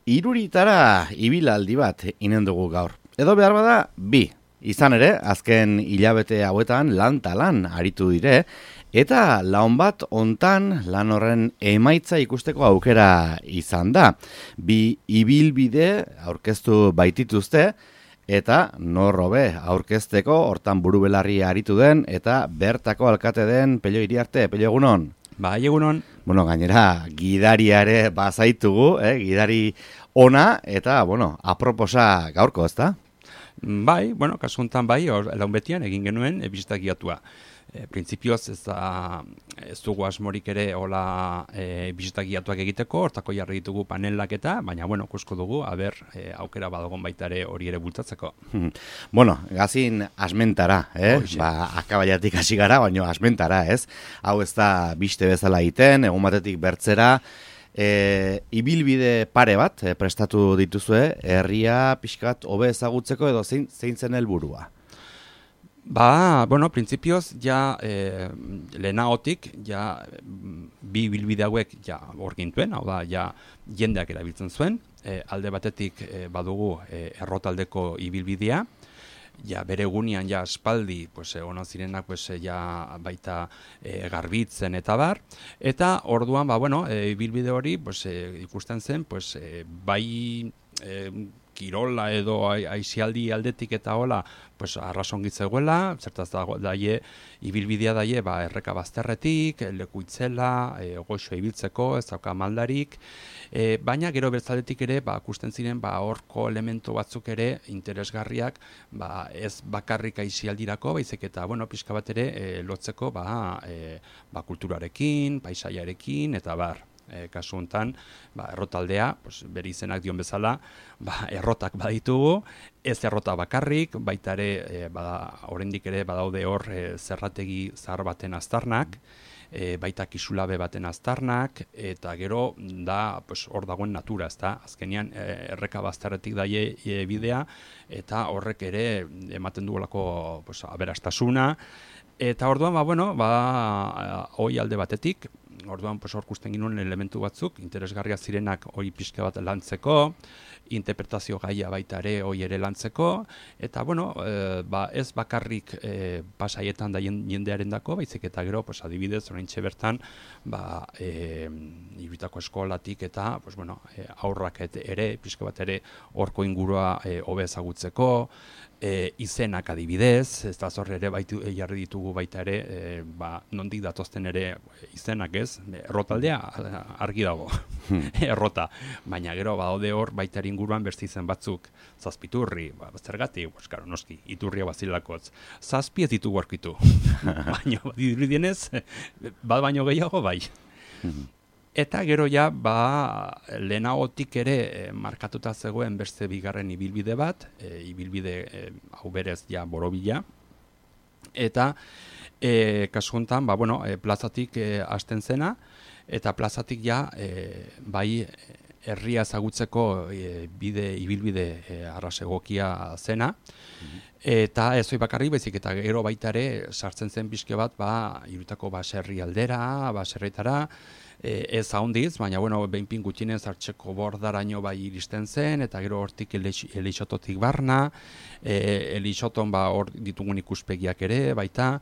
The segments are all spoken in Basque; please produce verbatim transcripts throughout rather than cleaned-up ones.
Hiruritara ibilaldi bat inen dugu gaur. Edo behar bada, bi. Izan ere, azken hilabete hauetan lan talan aritu dire, eta laun bat hontan lan horren emaitza ikusteko aukera izan da. Bi ibilbide aurkeztu baitituzte, eta norrobe aurkezteko hortan burubelarri aritu den, eta bertako alkate den Pello Iriarte. Pello, egunon? Bai, egunon. Bueno, gainera, gidariare bazaitugu, eh? Gidari ona, eta, bueno, aproposa gaurko, ezta? Bai, bueno, kasu honetan bai, laun betian egin genuen e, bisita giatua. E, Printzipioz ez, da, ez dugu asmorik ere hola e, bisita giatuak egiteko, hortako jarri ditugu panelak eta, baina, bueno, kusko dugu, aber, e, aukera badagon baita ere hori ere bultatzeko. Bueno, gazin asmentara, eh? Hoxe. Ba, akabaiatik hasi gara, baina asmentara, ez? Hau ez da biste bezala egiten, egun batetik bertzera, E, ibilbide pare bat e, prestatu dituzue, herria pixkat hobe ezagutzeko edo zein, zein zen helburua? Ba, bueno, printzipioz, ja, e, lehenagotik, ja, bi ibilbide hauek, ja, hor gintuen, hau da, ja, jendeak erabiltzen zuen, e, alde batetik e, badugu e, errotaldeko ibilbidea, ja, bere egunean, ja, aspaldi, pues, ona zirenak, pues, ja, baita e, garbitzen eta bar, eta orduan, ba, bueno, e, ibilbide hori, pues, e, ikusten zen, pues, e, bai, e, kirola edo aisialdi aldetik eta hola, pues arrasongi zegoela, zertaz dago daie ibilbidea daie, ba erreka bazterretik, leku itzela, e, goxo ibiltzeko, ez dauka maldarik, e, baina gero bertzaldetik ere, ba ikusten ziren ba horko elementu batzuk ere interesgarriak, ba ez bakarrik aisialdirako, baizik eta bueno, pixka bat ere e, lotzeko ba, e, ba kulturarekin, paisaiarekin eta bar. E, kasu honetan, ba, errotaldea, pues, bere izenak dion bezala, ba, errotak baditugu, ez errota bakarrik, baita ere, e, bada, oraindik ere badaude hor e, zerrategi zahar baten aztarnak, e, baita kisulabe baten aztarnak, eta gero da pues, hor dagoen natura, ezta? Azkenean e, erreka bazterretik daie e, bidea, eta horrek ere ematen dugulako pues, aberastasuna, eta orduan, ba, bueno, ba, hoi alde batetik, orduan pues, hor kusten ginuen elementu batzuk, interesgarria zirenak hori pixka bat lantzeko, interpretazio gaia baita ere hori ere lantzeko, eta bueno, e, ba, ez bakarrik e, pasaietan da jendearen dako, baizik eta gero, pues, adibidez, oraintxe bertan, ba, e, iruitako eskolatik eta pues, bueno, e, aurrak et, ere, pixka bat ere, horko ingurua e, hobe ezagutzeko, E, izenak adibidez, ez da zorre ere baitu, e, jarri ditugu baita ere, e, ba, nondik datozten ere izenak ez, errotaldea argi dago, errota, baina gero badaude hor baita inguruan beste izen batzuk, zazpiturri, ba, zergatik, pues, karo, noski, iturria bazilakotz, zazpi ez ditugu aurkitu, baina dirudienez, bat baino gehiago bai. Eta gero ja, ba, lehenagotik ere e, markatuta zegoen beste bigarren ibilbide bat, e, ibilbide e, hau berez ja borobila, eta e, kasu honetan, ba, bueno, e, plazatik e, hasten zena, eta plazatik ja, e, bai, herria ezagutzeko e, bide, ibilbide e, arrasegokia zena, eta ez hori bakarrik bezik, eta gero baita ere sartzen zen pixke bat, ba, irutako baserri aldera, baserretara, E, ez ahondiz, baina bueno, behinpin gutxinez hartxeko bordaraino bai iristen zen, eta gero hortik elixototik barna, e, elixoton ba hor ditugun ikuspegiak ere, baita,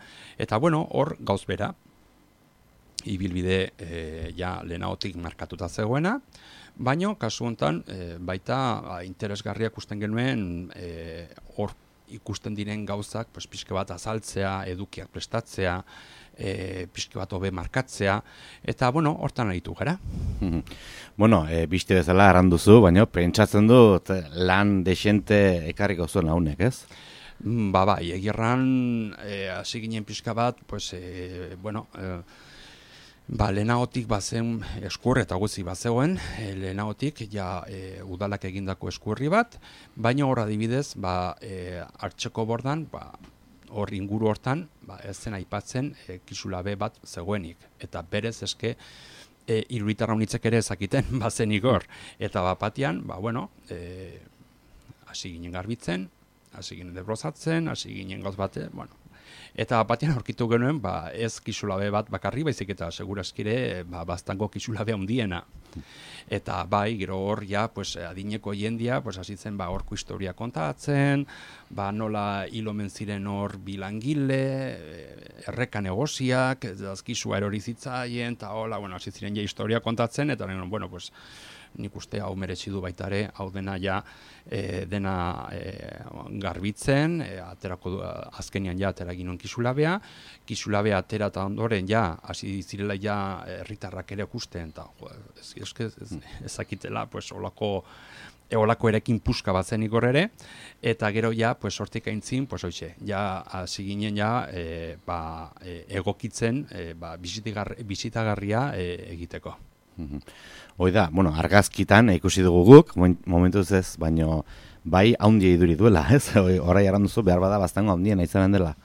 eta bueno, hor gauz bera, ibilbide e, ja lehenagotik markatuta zegoena, baina kasu honetan e, baita ba, interesgarriak ikusten genuen e, hor ikusten diren gauzak, pues, pixke bat azaltzea, edukiak prestatzea, E, pixke bat hobe markatzea, eta, bueno, hortan aritu gara. Bueno, e, biste bezala arranduzu, baina pentsatzen dut lan desente ekarriko zuen launek, ez? Ba, bai, egirran, e, hasi ginen pixka bat, pues, e, bueno, e, ba, lehenagotik bazen eskur eta guzi bazegoen, e, lehenagotik, ja, e, udalak egindako eskurri bat, baina hor adibidez, ba, e, hartxeko bordan, ba, hor inguru hortan, ba, ez zen aipatzen e, kisulabe bat zegoenik. Eta berez eske e, iruitarra unitzek ere ezakiten bazenik hor. Eta bapatian, ba, bueno, e, hasi ginen garbitzen, hasi ginen debrozatzen, hasi ginen gauz bate, bueno, Eta batean aurkitu genuen, ba, ez kisulabe bat bakarri, baizik eta seguraskire ba, baztango kisulabe handiena. Eta bai, gero hor, ja, pues, adineko jendia, pues, hasitzen ba, horko historia kontatzen, ba, nola hil omen ziren hor bilangile, erreka negoziak, azkizua erori zitzaien, eta hola, bueno, hasi ziren ja historia kontatzen, eta bueno, pues, nik uste hau meretsi du baitare, hau dena ja e, dena e, garbitzen, e, aterako du, azkenian ja atera ginen kisulabea, kisulabea atera eta ondoren ja, hasi zirela ja herritarrak ere ikusten, eta ez, ez, ez, ezakitela, pues, olako, e, olako erekin puska bat zen igor ere, eta gero ja, pues, hortik aintzin, pues, oixe, ja, hasi ginen ja, e, ba, e, egokitzen, e, ba, bisitagarria e, egiteko. Hoi da, bueno, argazkitan ikusi dugu guk, momentuz ez, baino bai haundia iduri duela, ez? Horai arran duzu, behar bada baztango haundien aizanen dela.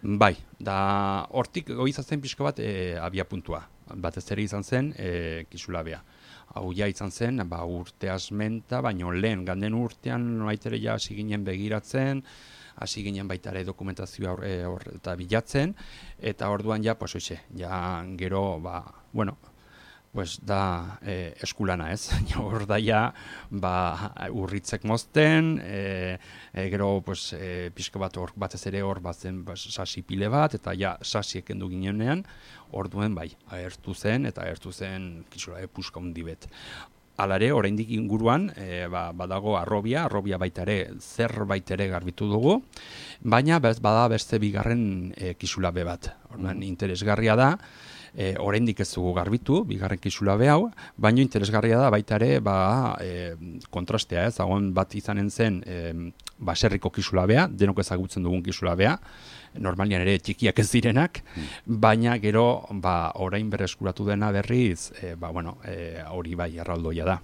Bai, da hortik goizatzen pixko bat e, abia puntua. Batez ere izan zen e, kisulabea. Hau ja izan zen, ba, urte asmenta, baino lehen, ganden urtean, noitere ja hasi ginen begiratzen, hasi ginen baita ere dokumentazioa hor, e, hor, eta bilatzen, eta orduan ja, pues, oixe, ja gero, ba, bueno, pues da eh, eskulana ez, hor da ja ba, urritzek mozten, e, e, gero pues, e, pixka bat hor batez ere hor batzen ba, sasi pile bat, eta ja sasiek endu ginenean, orduen bai, ahertu zen, eta ahertu zen kisula epuska hundi bet. Alare, oraindik inguruan, e, ba, badago arrobia, arrobia baita ere, zerbait ere garbitu dugu, baina bez, bada beste bigarren e, kisulabe bat. Orduan, interesgarria da, E, oraindik ez dugu garbitu, bigarren kisulabe hau, baino interesgarria da baita ere ba, e, kontrastea, ez, dagoen bat izanen zen e, baserriko kisulabea, denok ezagutzen dugun kisulabea, normalian ere txikiak ez direnak, baina gero ba, orain berreskuratu dena berriz, e, ba, bueno, e, hori bai erraldoia da.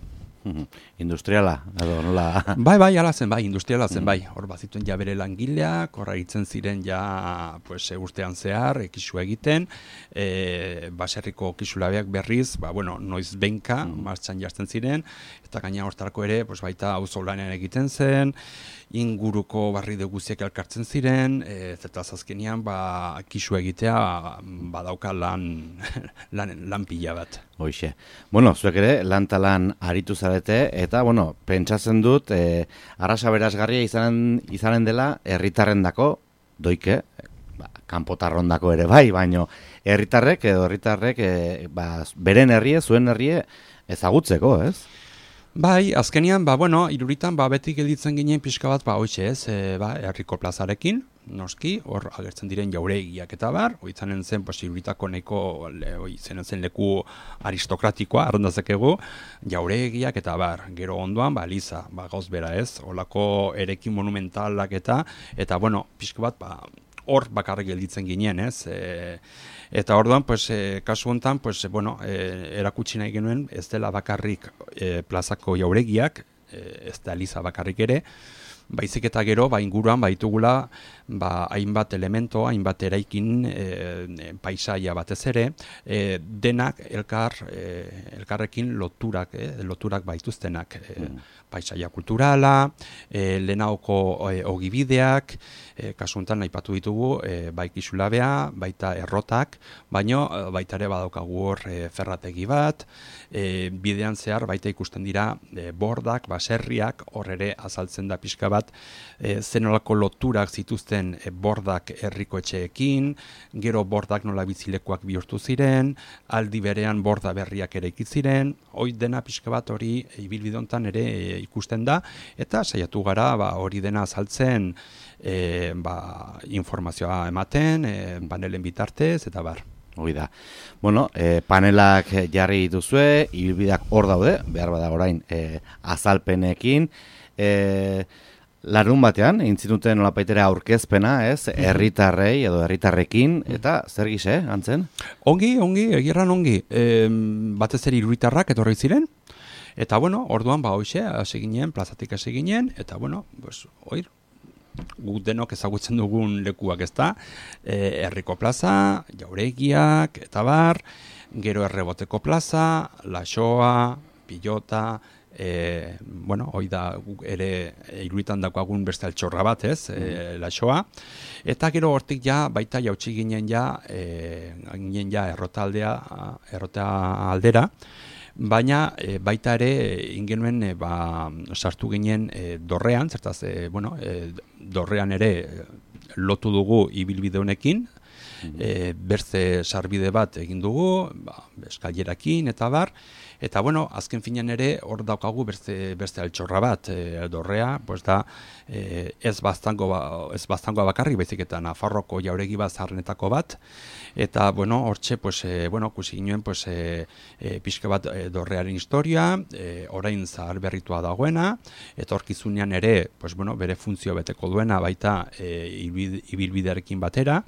Industriala, edo nola? Bai, bai, ala zen, bai, industriala zen, bai. Hor bazituen ja bere langileak, horra itzen ziren ja, pues, urtean zehar, kisua egiten, e, baserriko kisulabeak berriz, ba, bueno, noiz benka, mm. martxan jartzen ziren, eta gaina hortarako ere, pues, baita auzo lanean egiten zen, inguruko barri de guztiak elkartzen ziren, e, eta azkenean, ba, kisua egitea, badauka lan, lan, lan pila bat. Hoixe. Bueno, zuek ere, lan talan aritu zarete, eta, bueno, pentsatzen dut, e, arrasa berazgarria izanen, izanen dela, herritarrendako, doike, ba, kanpotarrondako ere bai, baino, herritarrek edo herritarrek, e, ba, beren herrie, zuen herrie, ezagutzeko, ez? Bai, azkenean, ba, bueno, iruritan, ba, beti gelditzen ginen pixka bat, ba, hoixe ez, e, ba, herriko plazarekin, noski, hor agertzen diren jauregiak eta bar, oitzanen zen, pues, iruritako nahiko, oizanen zen leku aristokratikoa, arrondazekegu, jauregiak eta bar, gero ondoan, ba, Liza, ba, gauz bera ez, holako erekin monumentalak eta, eta, bueno, pixka bat, ba, hor bakarrik gelditzen ginen, ez, e, eta orduan, pues, e, kasu honetan, pues, e, bueno, e, erakutsi nahi genuen, ez dela bakarrik e, plazako jauregiak, e, ez da Liza bakarrik ere, baizik eta gero, ba, inguruan, baitugula, ba, hainbat elemento, hainbat eraikin e, paisaia batez ere, e, denak elkar, e, elkarrekin loturak, e, loturak baituztenak, e, mm. paisaia kulturala, e, lehenaoko e, ogibideak, e, kasuntan aipatu ditugu, e, bai kisulabea, baita errotak, baino baita ere badaukagu hor e, ferrategi bat, e, bidean zehar baita ikusten dira e, bordak, baserriak, hor ere azaltzen da pixka bat, e, zenolako loturak zituzten e, bordak herriko etxeekin, gero bordak nola bizilekuak bihurtu ziren, aldi berean borda berriak ere ikiziren, hoi dena pixka bat hori ibilbidontan ere e, ikusten da, eta saiatu gara ba, hori dena azaltzen e, ba, informazioa ematen, e, panelen bitartez, eta bar. Hoi da. Bueno, e, panelak jarri dituzue, ibilbideak hor daude, behar bada orain e, azalpenekin, e, larun batean, intzinuten nolapaitere aurkezpena, ez, herritarrei edo herritarrekin, eta zer gise, antzen? Ongi, ongi, egirran ongi. E, batez ere iruitarrak etorri ziren, eta bueno, orduan ba hoixe, hasi ginen, plazatik hasi ginen, eta bueno, pues, oir, guk denok ezagutzen dugun lekuak ezta, e, herriko plaza, jauregiak, eta bar, gero erreboteko plaza, laxoa, pilota, e, bueno, hoi da ere iruditan dakoagun beste altxorra bat, ez, e, lasoa, eta gero hortik ja, baita jautsi ginen ja, e, ginen ja errotaldea, errota aldera, baina e, baita ere ingenuen e, ba, sartu ginen e, dorrean, zertaz, e, bueno, e, dorrean ere lotu dugu ibilbide honekin, e, berze sarbide bat egin dugu, ba, eskailerakin eta bar, eta bueno, azken finean ere hor daukagu beste, beste altxorra bat, e, dorrea, pues da, e, ez baztango ba, ez baztangoa bakarrik, baizik eta Nafarroko jauregi bat zaharrenetako bat, eta bueno, hortxe, pues, e, bueno, kusi ginen, pues, e, e, pixka bat e, dorrearen historia, e, orain zahar berritua dagoena, eta horkizunean ere, pues, bueno, bere funtzio beteko duena, baita e, ibilbidearekin batera,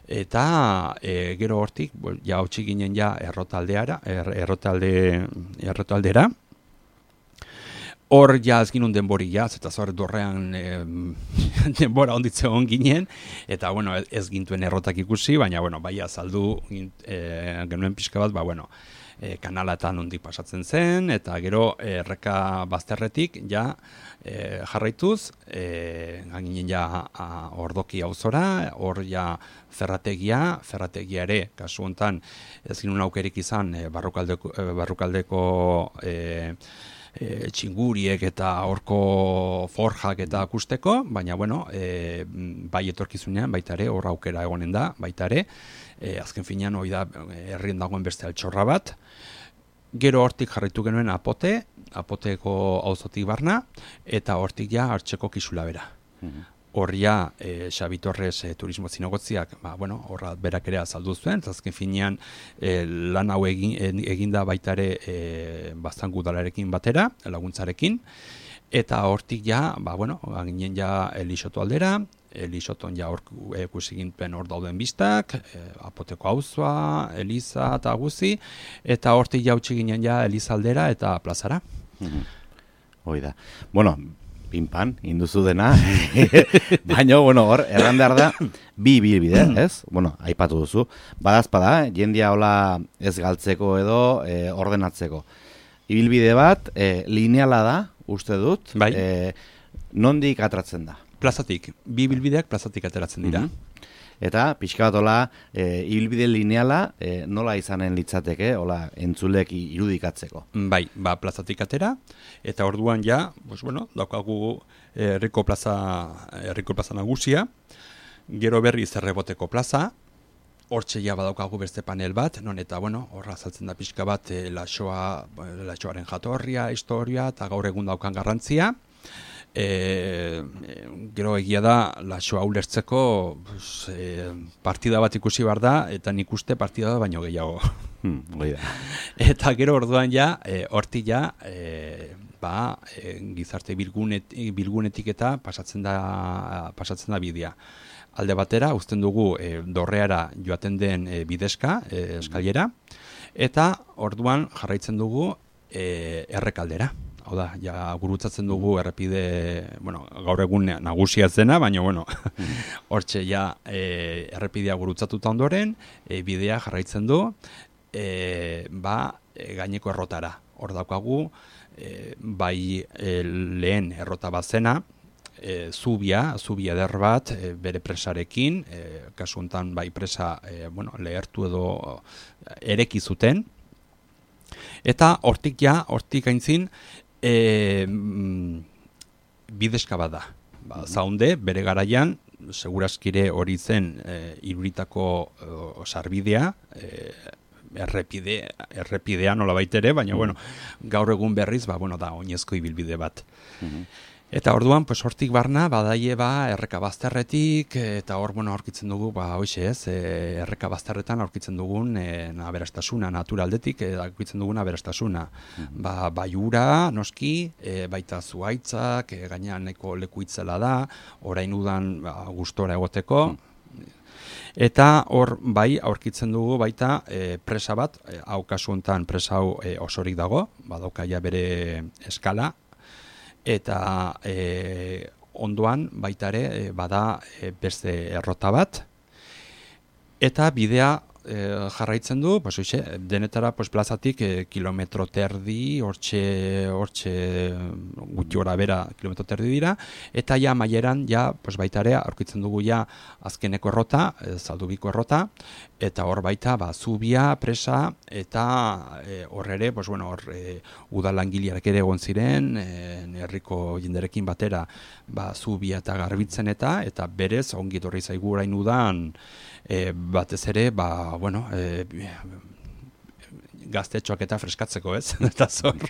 eta e, gero hortik ja hautsi ginen ja errotaldeara, er, errotalde, errotaldera. Hor ja ez ginun denbori ja, eta zor dorrean e, denbora onditze hon ginen, eta bueno, ez gintuen errotak ikusi, baina bueno, bai azaldu e, genuen pixka bat, ba bueno, e, kanalatan ondik pasatzen zen, eta gero erreka bazterretik ja e, jarraituz, e, ginen ja a, ordoki auzora, hor ja ferrategia, ferrategia ere, kasu hontan ez ginun aukerik izan e, barrukaldeko, e, barrukaldeko e, E, txinguriek eta horko forjak eta akusteko, baina bueno, e, bai etorkizunean, baita ere, hor aukera egonen da, baita ere, e, azken finean hori da herrien dagoen beste altxorra bat. Gero hortik jarraitu genuen apote, apoteko auzotik barna, eta hortik ja hartxeko kisula bera. Mm-hmm. Horria, e, Xabi Torres e, turismo zinegotziak, ba, bueno, horra berak ere azaldu zuen, eta azken finean e, lan hau egin, eginda baita ere e, baztangu udalarekin batera, laguntzarekin, eta hortik ja, ba, bueno, ginen ja Elixoto aldera, Elixoton ja hor ikusi ginpen hor dauden biztak, e, apoteko auzoa, Eliza eta guzi, eta hortik ja utzi ginen ja Eliza aldera eta plazara. Mm-hmm. Hoi da. Bueno, pinpan, induzu dena, baina, bueno, hor, erran behar da, bi bilbide, ez? Bueno, aipatu duzu. Badazpada, jendia hola ez galtzeko edo e, ordenatzeko. Ibilbide bat, e, lineala da, uste dut, bai. E, nondik atratzen da? Plazatik, bi bilbideak plazatik ateratzen dira. Mm-hmm. Eta, pixka bat hola, e, ibilbide lineala, e, nola izanen litzateke, hola, entzulek irudikatzeko. Bai, ba, plazatik atera, eta orduan ja, pues, bueno, daukagu herriko plaza, herriko plaza nagusia, gero berri zerreboteko plaza, hortxe ja badaukagu beste panel bat, non eta, bueno, horra azaltzen da pixka bat, e, lasoa, lasoaren jatorria, historia, eta gaur egun daukan garrantzia. E, gero egia da lasoa ulertzeko pues, e, partida bat ikusi behar da, eta nik uste partida da baino gehiago. Hmm, eta gero orduan ja, e, horti ja, e, ba, e, gizarte bilgunet, bilgunetik eta pasatzen da, pasatzen da bidea. Alde batera, uzten dugu e, dorreara joaten den e, bidezka, e, eskailera, eta orduan jarraitzen dugu e, errekaldera. Hau da, ja gurutzatzen dugu errepide, bueno, gaur egun nagusia zena, baina, bueno, hortxe ja e, errepidea gurutzatuta ondoren, e, bidea jarraitzen du, e, ba, e, gaineko errotara. Hor daukagu, e, bai e, lehen errota bat zena, e, zubia, zubia eder bat, e, bere presarekin, e, kasu honetan bai presa, e, bueno, lehertu edo ereki zuten, eta hortik ja, hortik aintzin, E, bidezka bat da. Ba, zaunde, bere garaian, seguraskire hori zen e, iruritako e, sarbidea, e, errepide, errepidea nola baitere, baina, bueno, gaur egun berriz, ba, bueno, da, oinezko ibilbide bat. Mm-hmm. Eta orduan, pues, hortik barna, badaie ba, erreka bazterretik, eta hor, bueno, aurkitzen dugu, ba, hoxe ez, e, erreka bazterretan aurkitzen dugun e, aberastasuna, naturaldetik, e, aurkitzen dugun aberastasuna. Mm-hmm. Ba, baiura, noski, e, baita zuaitzak, e, gainean nahiko leku itzela da, orain udan ba, gustora egoteko, mm-hmm. Eta hor, bai, aurkitzen dugu baita e, presa bat, e, hau kasu honetan presa hau e, osorik dago, badauka ja bere eskala, eta e, ondoan baita ere e, bada e, beste errota bat, eta bidea e, jarraitzen du, pues, oixe, denetara pues, plazatik e, kilometro terdi, hortxe, hortxe gutxi gora bera kilometro terdi dira, eta ja maieran, ja, pues, baita ere, aurkitzen dugu ja azkeneko errota, e, Zaldubiko errota, eta hor baita, ba, zubia, presa, eta e, hor ere, pues, bueno, hor e, udalangiliak ere egon ziren, e, herriko jenderekin batera, ba, zubia eta garbitzen eta, eta berez, ongi etorri zaigu orain udan, e, batez ere, ba, bueno, e, gaztetxoak eta freskatzeko, ez? Eta zor,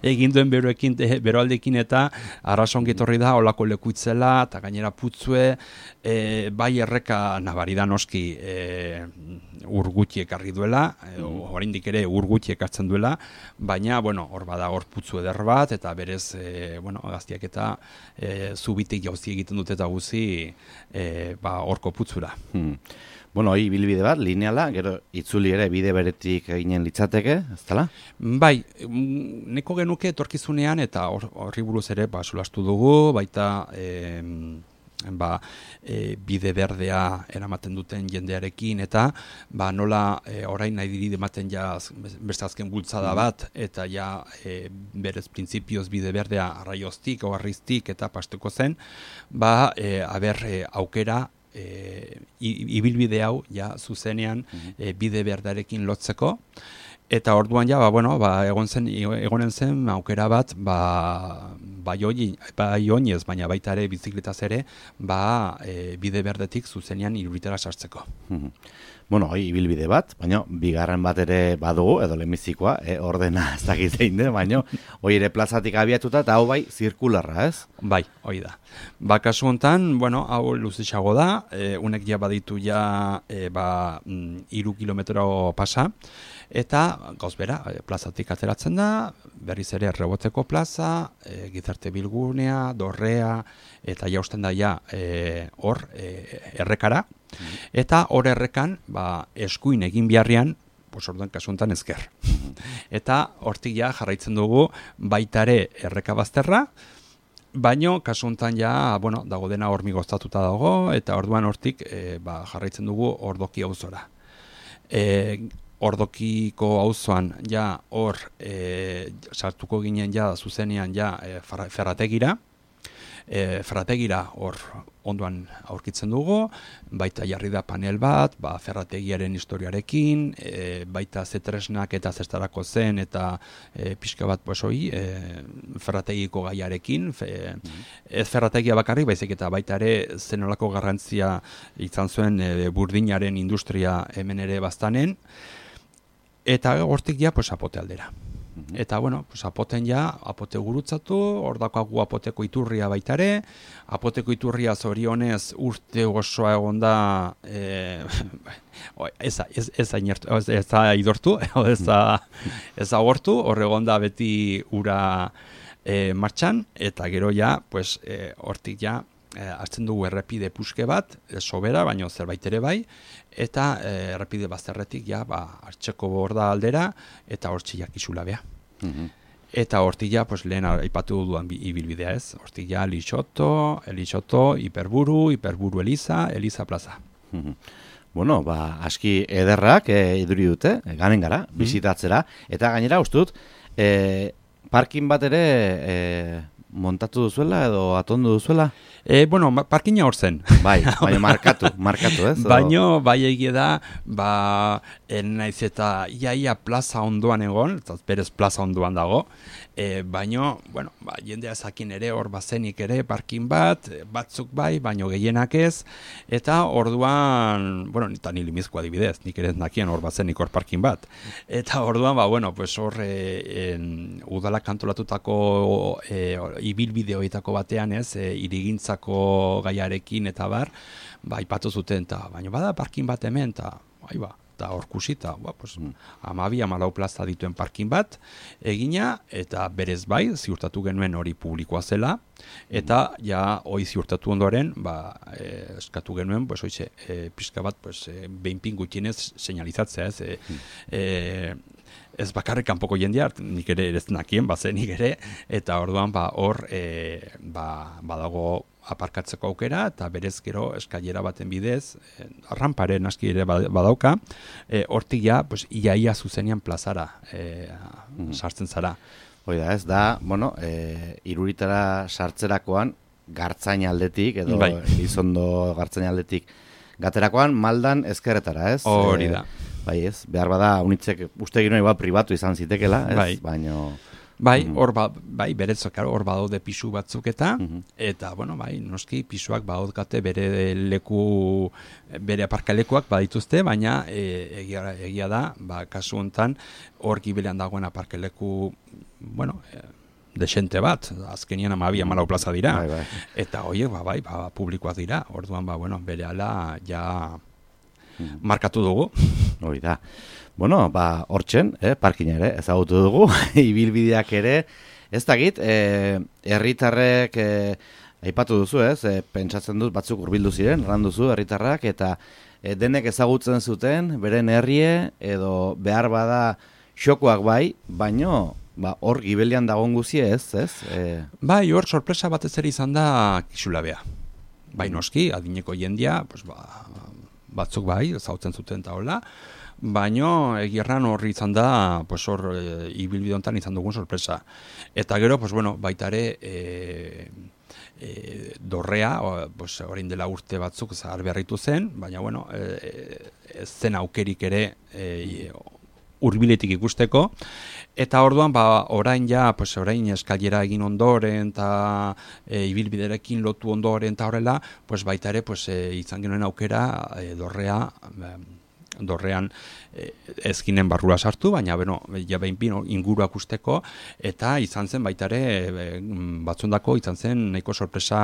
egin duen beroekin, beroaldekin eta arrasongi etorri da, olako lekuitzela, eta gainera putzue, e, bai erreka nabari da noski e, urgutxi ekarri duela, e, oraindik ere urgutxi ekartzen duela, baina, bueno, hor bada hor putzu eder bat, eta berez, e, bueno, gaztiak eta e, zubitik jauzi egiten dute eta guzi, e, ba, horko putzura. Hmm. Bueno, hori bilbide bat, lineala, gero itzuli ere bide beretik eginen litzateke, ez dela? Bai, neko genuke etorkizunean eta horri buruz ere ba, solastu dugu, baita e, ba, e, bide berdea eramaten duten jendearekin, eta ba, nola e, orain nahi diri ematen ja beste azken bultzada bat, eta ja e, berez printzipioz bide berdea arraioztik, oharriztik eta pastuko zen, ba, e, aber e, aukera, E, ibilbide hau ja zuzenean e, bide berdarekin lotzeko, eta orduan ja ba, bueno, ba, egon zen, egonen zen aukera bat ba, bai oinez, baina baita ere bizikletaz ere ba, e, bide berdetik zuzenean iruditera sartzeko. Bueno, hoi ibilbide bat, baina bigarren bat ere badugu, edo lemizikoa, eh, ordena ez dakit zein den, baina hoi ere plazatik abiatuta eta hau bai zirkularra, ez? Bai, hoi da. Ba, kasu hontan, bueno, hau luzitxago da, e, unek ja baditu ja e, ba, iru kilometro pasa, eta gauz bera, e, plazatik ateratzen da, berriz ere Reboteko plaza, e, Gizarte Bilgunea, Dorrea, eta jausten da ja e, hor e, errekara, eta hor errekan ba, eskuin egin biharrian, pues orduan kasu honetan ezker. Eta hortik ja jarraitzen dugu baitare erreka bazterra, baino kasu honetan ja, bueno, dago dena hormigoztatuta dago, eta orduan hortik e, ba, jarraitzen dugu Ordoki auzora. E, Ordokiko auzoan ja hor e, sartuko ginen ja zuzenean ja e, ferrategira, e, ferrategira hor ondoan aurkitzen dugu, baita jarri da panel bat, ba, ferrategiaren historiarekin, e, baita zetresnak eta zestarako zen, eta e, pixka bat pues, hoi, e, ferrategiko gaiarekin, fe, ez ferrategia bakarrik, baizik eta baita ere zenolako garrantzia izan zuen e, burdinaren industria hemen ere baztanen, eta hortik ja pues, apote aldera. Eta, bueno, pues, apoten ja, apote gurutzatu, hor dakagu apoteko iturria baitare, apoteko iturria zorionez urte osoa egon da, e, ez da idortu, ez da agortu, hor egon da beti ura e, martxan, eta gero ja, pues, e, hortik ja, e, hartzen dugu errepide puske bat, e, sobera, baino zerbait ere bai, eta e, errepide bazterretik ja, ba, hartxeko borda aldera, eta hortxe jakizula beha. Mm-hmm. Eta hortik ja, pues, lehen aipatu duan ibilbidea ez, hortik ja Lixoto, Elixoto, Hiperburu, Hiperburu Eliza, Eliza Plaza. Mm-hmm. Bueno, ba, aski ederrak e, iduri dute, e, ganen gara, mm-hmm. bizitatzera, eta gainera ustut, e, parkin bat ere e, montatu duzuela edo atondu duzuela? E, bueno, parkina hor zen. Bai, baina markatu, markatu, ez? Baina, bai egia da, ba, naiz eta iaia plaza ondoan egon, eta berez plaza ondoan dago, e, baina, bueno, ba, jendea zakin ere hor bazenik ere parkin bat, batzuk bai, baino gehienak ez, eta orduan, bueno, eta ni limizko adibidez, nik ere nakien hor bazenik hor parkin bat. Eta orduan, ba, bueno, pues hor e, en, udalak kantolatutako e, ibilbide horietako batean ez, e, irigintzako gaiarekin eta bar, ba, ipatu zuten, eta baina bada parkin bat hemen, eta bai ba, eta hor kusita, ba, pues, amabi, amalau plaza dituen parkin bat, egina, eta berez bai, ziurtatu genuen hori publikoa zela, eta ja, hori ziurtatu ondoren, ba, e, eskatu genuen, pues, oize, e, pixka bat, pues, e, behin pin gutxienez seinalizatzea, ez, e, e, ez bakarrik kanpoko jendea, nik ere ez nakien, bazen nik ere, eta orduan ba, hor e, ba, badago aparkatzeko aukera, eta berez gero eskailera baten bidez, e, ramparen aski ere badauka, e, hortik ja, pues, iaia zuzenean plazara e, mm. sartzen zara. Oida ez da, bueno, e, iruritara sartzerakoan, gartzain aldetik, edo bai. Elizondo gartzain aldetik, gaterakoan maldan ezkerretara, ez? Hori da. E, bai ez, behar bada, unitzek uste gino igual pribatu izan zitekela, ez? Bai. Baino... Bai, hor ba, bai, berezok, hor badaude pisu batzuk eta, mm-hmm. eta, bueno, bai, noski pisuak badaukate bere leku, bere aparkalekuak badituzte, baina e, egia, egia da, ba, kasu hontan, hor gibilean dagoen aparkaleku, bueno, e, desente bat, azkenian amabia malau plaza dira, bai, bai. Eta horiek, ba, bai, ba, publikoak dira, orduan, ba, bueno, bere ala, ja, mm. markatu dugu. Hori da. Bueno, ba, hortzen, eh, parkina ere, ezagutu dugu, ibilbideak ere, ez dakit, eh, herritarrek eh, aipatu duzu, ez, eh, pentsatzen dut batzuk hurbildu ziren, erran duzu herritarrak, eta eh, denek ezagutzen zuten, beren herrie, edo behar bada xokoak bai, baino, ba, hor gibelian dagoen guzie ez, ez? Eh... Bai, hor sorpresa batez ere izan da Kisulabea. Bai, noski, adineko jendia, pues, ba, batzuk bai, zautzen zuten eta hola, baino egirran horri izan da, pues hor e, ibilbide hontan izan dugun sorpresa. Eta gero, pues bueno, baita ere e, e, dorrea, o, pues orain dela urte batzuk zahar beharritu zen, baina bueno, e, e, zen aukerik ere e, hurbiletik ikusteko, eta orduan ba orain ja, pues orain eskailera egin ondoren eta e, ibilbiderekin lotu ondoren eta horrela, pues baita ere pues e, izan genuen aukera e, dorrea e, dorrean e, ezkinen barrura sartu, baina beno, ja behin pino inguruak usteko, eta izan zen baita ere e, batzundako izan zen nahiko sorpresa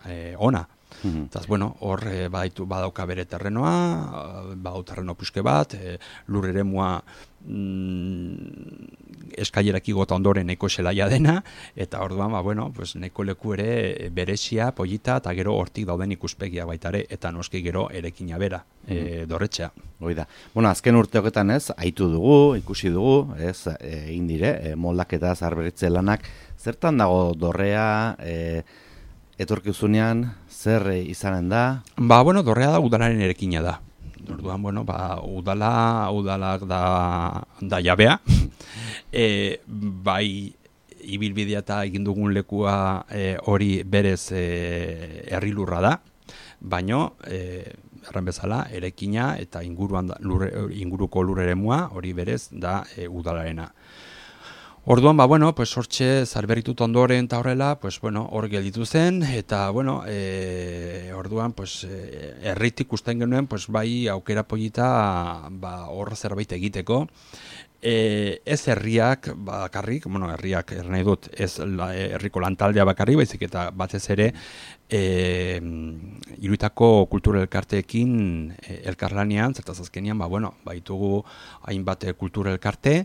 e, ona. Mm-hmm. Taz, bueno, hor e, badaitu, badauka bere terrenoa, badau terreno puske bat, e, lur eremua mm, eskailerak igota ondoren nahiko zelaia dena, eta orduan, ba, bueno, pues, nahiko leku ere berezia, polita, eta gero hortik dauden ikuspegia baita ere, eta noski gero erekina bera, mm-hmm. e, dorretxea. Hoi da. Bueno, azken urteoketan ez, aitu dugu, ikusi dugu, ez, egin dire, e, moldaketa zaharberritze lanak, zertan dago dorrea, e, etorkizunean, zer izanen da? Ba, bueno, dorrea da udalaren erekina da. Orduan, bueno, ba, udala, udalak da, da jabea. E, bai, ibilbidea eta egin dugun lekua e, hori berez e, herrilurra da, baino, e, erran bezala, erekina eta inguruan da, lur, inguruko lur eremua hori berez da e, udalarena. Orduan, ba, bueno, pues hortxe zarberritut ondoren eta horrela, pues, bueno, hor gelditu zen, eta, bueno, e, orduan, pues, erritik usten genuen, pues, bai, aukera polita, ba, hor zerbait egiteko. E, ez herriak bakarrik, bueno, herriak er nahi dut, ez la, herriko lantaldea bakarrik, baizik eta batez ere, e, Iruitako kultura elkarteekin e, elkarlanean, zertaz azkenean, ba, bueno, baitugu hainbat kultura elkarte,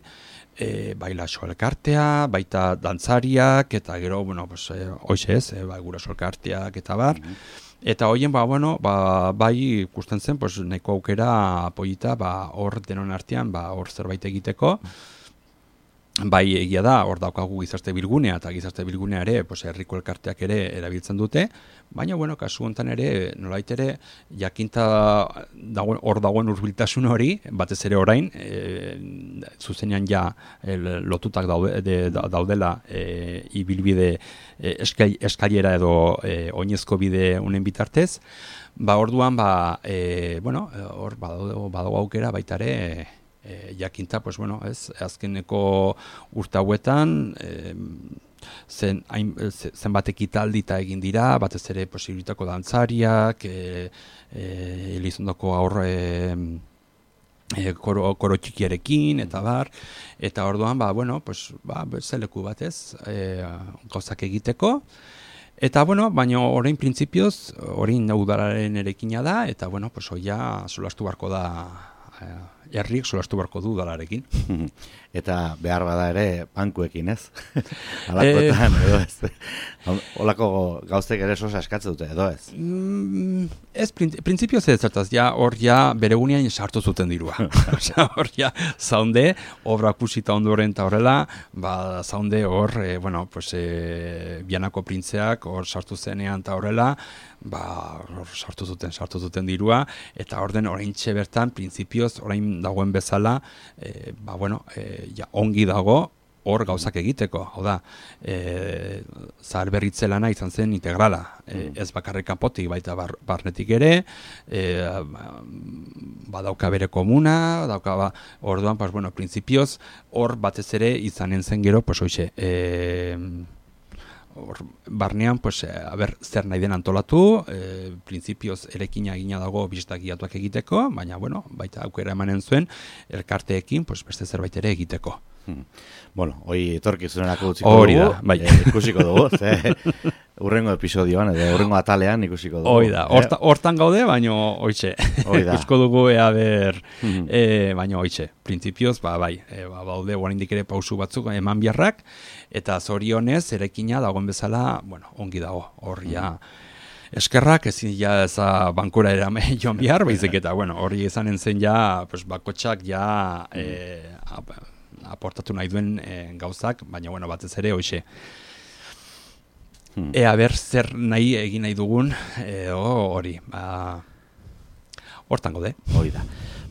E, bai laso elkartea, baita dantzariak, eta gero, bueno, pues, e, hoxe ez, e, bai guraso elkarteak eta bar, mm-hmm. Eta hoien, ba, bueno, ba, bai ikusten zen, pues, nahiko aukera polita, ba, hor denon artean, ba, hor zerbait egiteko, bai egia da, hor daukagu gizarte bilgunea, eta gizarte bilgunea ere, pues, herriko elkarteak ere erabiltzen dute, baina, bueno, kasu honetan ere, nolait ere, jakinta dagoen, hor dagoen hurbiltasun hori, batez ere orain, e, zuzenean ja e, lotutak daude, de, daudela e, ibilbide e, eskailera edo e, oinezko bide unen bitartez, ba, orduan, ba, e, bueno, hor badago, badago aukera baita ere, e, jakinta, pues, bueno, ez, azkeneko urte hauetan, e, zen hain, zenbat ekitaldi egin dira, batez ere posibilitako dantzariak, e, e, Elizondoko aurre e, koro, koro txikiarekin, eta bar, eta orduan, ba, bueno, pues, ba, zeleku batez, e, gauzak egiteko, eta, bueno, baina orain printzipioz, orain udalaren erekina da, eta, bueno, pues, oia solastu barko da e, herriek solastu barko du udalarekin. Eta behar bada ere bankuekin, ez? Alakoetan, edo ez? Olako gauztek ere sosa eskatzen dute, edo ez? Mm, ez, printzipioz ez zertaz, ja, hor ja bere gunean sartu zuten dirua. Hor ja, zaunde, obra kusita ondoren eta horrela, ba, zaunde hor, e, bueno, pues, e, Bianako printzeak hor sartu zenean eta horrela, ba, hor sartu zuten, sartu zuten dirua, eta hor den oraintxe bertan, printzipioz, orain dagoen bezala, e, ba, bueno, e, ja, ongi dago, hor gauzak egiteko, hau da, e, zaharberritze lana izan zen integrala, e, ez bakarrik kanpotik baita bar, barnetik ere, e, badauka bere komuna, dauka, ba, orduan, pues, bueno, printzipioz, hor batez ere izanen zen gero, pues, hoxe, e, hor, barnean, pues, a ber, zer nahi den antolatu, e, printzipioz erekina egina dago bistak guiatuak egiteko, baina, bueno, baita aukera emanen zuen, elkarteekin, pues, beste zerbait ere egiteko. Hmm. Bueno, hoi etorkizunerako utziko Hori dugu, da, bai. e, ikusiko dugu, ze urrengo episodioan, edo urrengo atalean ikusiko dugu. Hoi da, horta, hortan gaude, baino hoitxe. Ikusko dugu ea ber, hmm. e, baino hoitxe. Printzipioz, ba, bai, e, ba, baude, oraindik ere pausu batzuk eman biharrak, eta zorionez, erekina dagoen bezala, bueno, ongi dago, horria. Hmm. Eskerrak, ezin ja eza bankura erame joan bihar, baizik eta, bueno, hori izanen zen ja, pues, bakotxak ja, e, ap, aportatu nahi duen e, gauzak, baina, bueno, batez ere, hoxe. Hmm. Ea ber, zer nahi egin nahi dugun, edo hori, ba, hortan gaude. Hori da.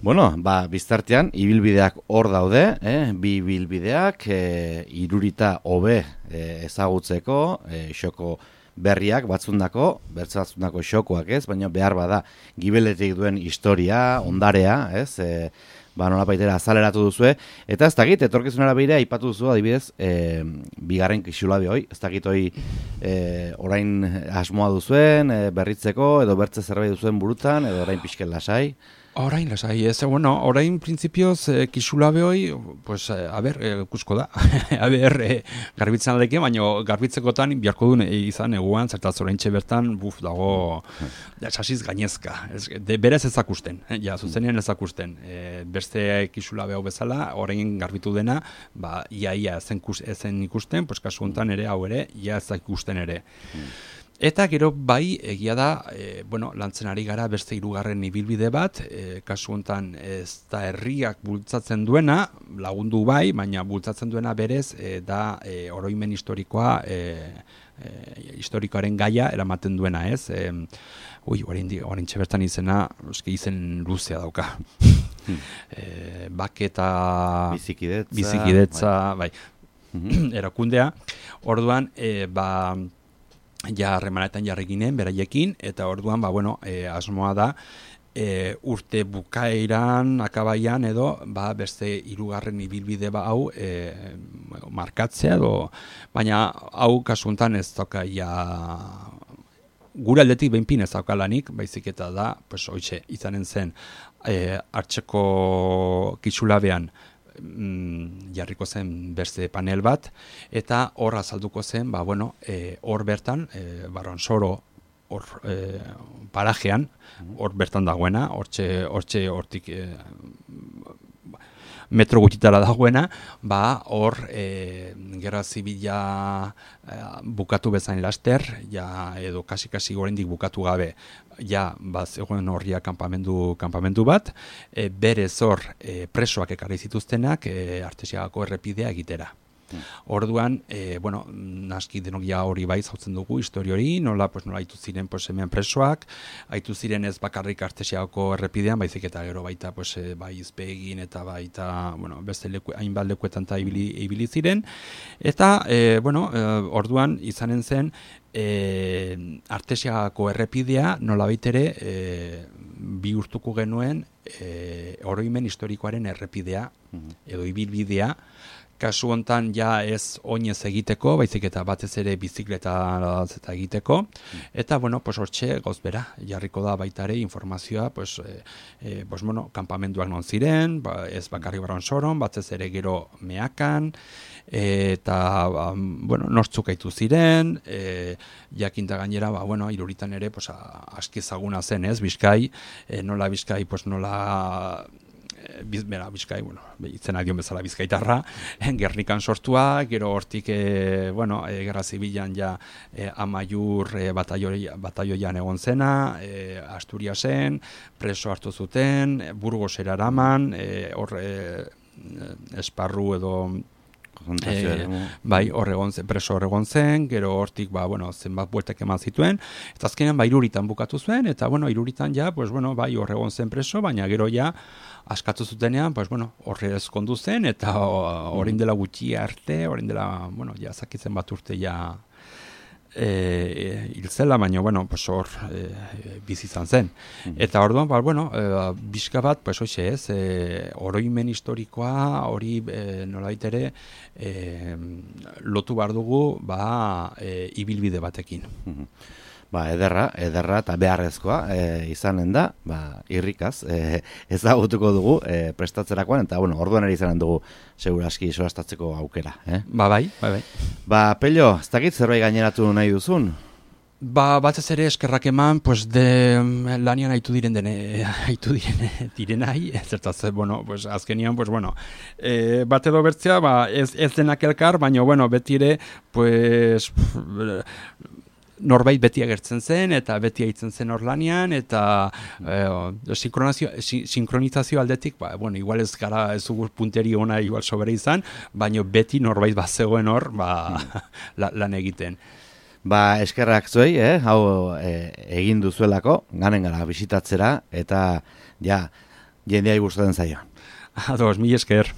Bueno, ba, biztartean, ibilbideak hor daude, eh? Bi ibilbideak, eh, irurita hobe eh, ezagutzeko, eh, xoko berriak batzundako, bertzatzundako xokoak, ez? Baina behar bada, gibeletik duen historia, ondarea, ez? Eh, ba, nola baitera azaleratu duzue, eta ez dakit, etorkizunera begira aipatu duzu, adibidez, e, bigarren kisulabe hoi, ez dakit hoi e, orain asmoa duzuen, e, berritzeko, edo bertze zerbait duzuen burutan, edo orain pixken lasai. Orain lasai, ez, bueno, orain printzipioz eh, kisulabe hoi, pues, eh, a ber, eh, kusko da, a ber, eh, garbitzen aldeke, baina garbitzekotan biharko duen eh, izan eguan, zertaz orain bertan, buf, dago, ja, sasiz gainezka, ez, de, berez ezakusten, eh, ja, zuzenean ezakusten, eh, beste kisulabe hau bezala, orain garbitu dena, ba, ia, ia, ezen, ezen ikusten, pues, kasu honetan ere, hau ere, ia ez ikusten ere. Eta gero bai, egia da, e, bueno, lantzen ari gara beste hirugarren ibilbide bat, e, kasu honetan ez da herriak bultzatzen duena, lagundu bai, baina bultzatzen duena berez, e, da e, oroimen historikoa, e, e, historikoaren gaia eramaten duena, ez? E, ui, orain txebertan izena, eski izen luzea dauka. e, baketa... Bizikidetza. Bizikidetza, bai. bai. Erakundea. Orduan, e, ba... ja harremanetan jarri ginen beraiekin, eta orduan, ba, bueno, e, asmoa da, e, urte bukaeran, akabaian edo, ba, beste hirugarren ibilbide ba hau e, markatzea, edo, baina hau kasuntan ez dauka ja gure aldetik behinpin ez dauka lanik, baizik eta da, pues, hoitxe, izanen zen, e, hartzeko kisulabean, Mm, jarriko zen beste panel bat, eta hor azalduko zen, ba, bueno, e, hor bertan, e, Barronsoro hor e, parajean, hor bertan dagoena, hortxe, hortxe, hortik e, metro gutxitara dagoena, ba, hor e, gerra zibila e, bukatu bezain laster, ja, edo kasi-kasi oraindik bukatu gabe, ja, ba, zegoen horria kanpamendu, kanpamendu bat, e, berez hor e, presoak ekarri zituztenak e, Artesiagako errepidea egitera. Orduan, e, bueno, naski denok ja hori bai zautzen dugu, histori hori, nola, pues, nola haitu ziren pues, hemen presoak, haitu ziren ez bakarrik Artesiagako errepidean, baizik eta gero baita pues, e, bai izpegin eta baita, bueno, beste leku, hainbat lekuetan eta ibili, ibili ziren, eta, e, bueno, e, orduan izanen zen, e, Artesiagako errepidea nola baitere e, bihurtuko genuen e, oroimen historikoaren errepidea, edo ibilbidea, kasu hontan ja ez oinez egiteko, baizik eta batez ere bizikleta eta egiteko, eta bueno, pues hortxe gozbera, jarriko da baita ere informazioa, pues, e, e, pues, bueno, kanpamenduak non ziren, ba, ez bakarri Barronsoron, batez ere gero Meakan, e, eta, um, bueno, nortzuk aitu ziren, e, jakinta gainera, ba, bueno, Iruritan ere, pues, aski ezaguna zen, ez, Bizkai, e, nola Bizkai, pues, nola... bizbera, bizkai, bueno, itzena dion bezala bizkaitarra, Gernikan sortua, gero hortik, e, bueno, e, Gerra Zibilan ja e, Amaiur e, batalloian egon zena, e, Asturiasen, preso hartu zuten, e, Burgosera eraman, e, hor e, esparru edo E, bai, horregon zen, preso horregon zen, gero hortik, ba, bueno, zenbat bueltak eman zituen, eta azkenean, ba, iruritan bukatu zuen, eta, bueno, iruritan ja, pues, bueno, bai, horregon zen preso, baina gero ja, askatu zutenean, pues, bueno, horre ezkondu zen, eta orain dela gutxi arte, orain dela, bueno, ja, zakitzen bat urte, ja, E, hilzela, baina, bueno, pues hor e, bizi izan zen. Eta orduan, ba, bueno, e, bizka bat, pues hoxe ez, e, oroimen historikoa, hori e, nolait ere, e, lotu behar dugu, ba, e, ibilbide batekin. Ba, ederra, ederra eta beharrezkoa e, izanen da, ba, irrikaz, e, ezagutuko dugu e, prestatzerakoan, eta, bueno, orduan ere izanen dugu seguraski solastatzeko aukera. Eh? Ba, bai, bai, bai. Ba, Pello, ez dakit zerbait gaineratu nahi duzun? Ba, batez ere eskerrak eman, pues de lanian haitu diren dene, haitu diren direnai, zertaz, bueno, pues azkenian, pues bueno, e, bat edo bertzea, ba, ez, ez denak elkar, baina, bueno, beti ere, pues, norbait beti agertzen zen, eta beti aitzen zen hor lanian, eta eh, sinkronizazio aldetik, ba, bueno, igual ez gara ez dugu punteri ona igual sobera izan, baina beti norbait bat zegoen hor, ba, la, lan egiten. Ba, eskerrak zuei, eh? Hau eh, egin duzuelako, ganen gara bisitatzera, eta ja, jendeai gustatzen zaio. Ados, mil esker.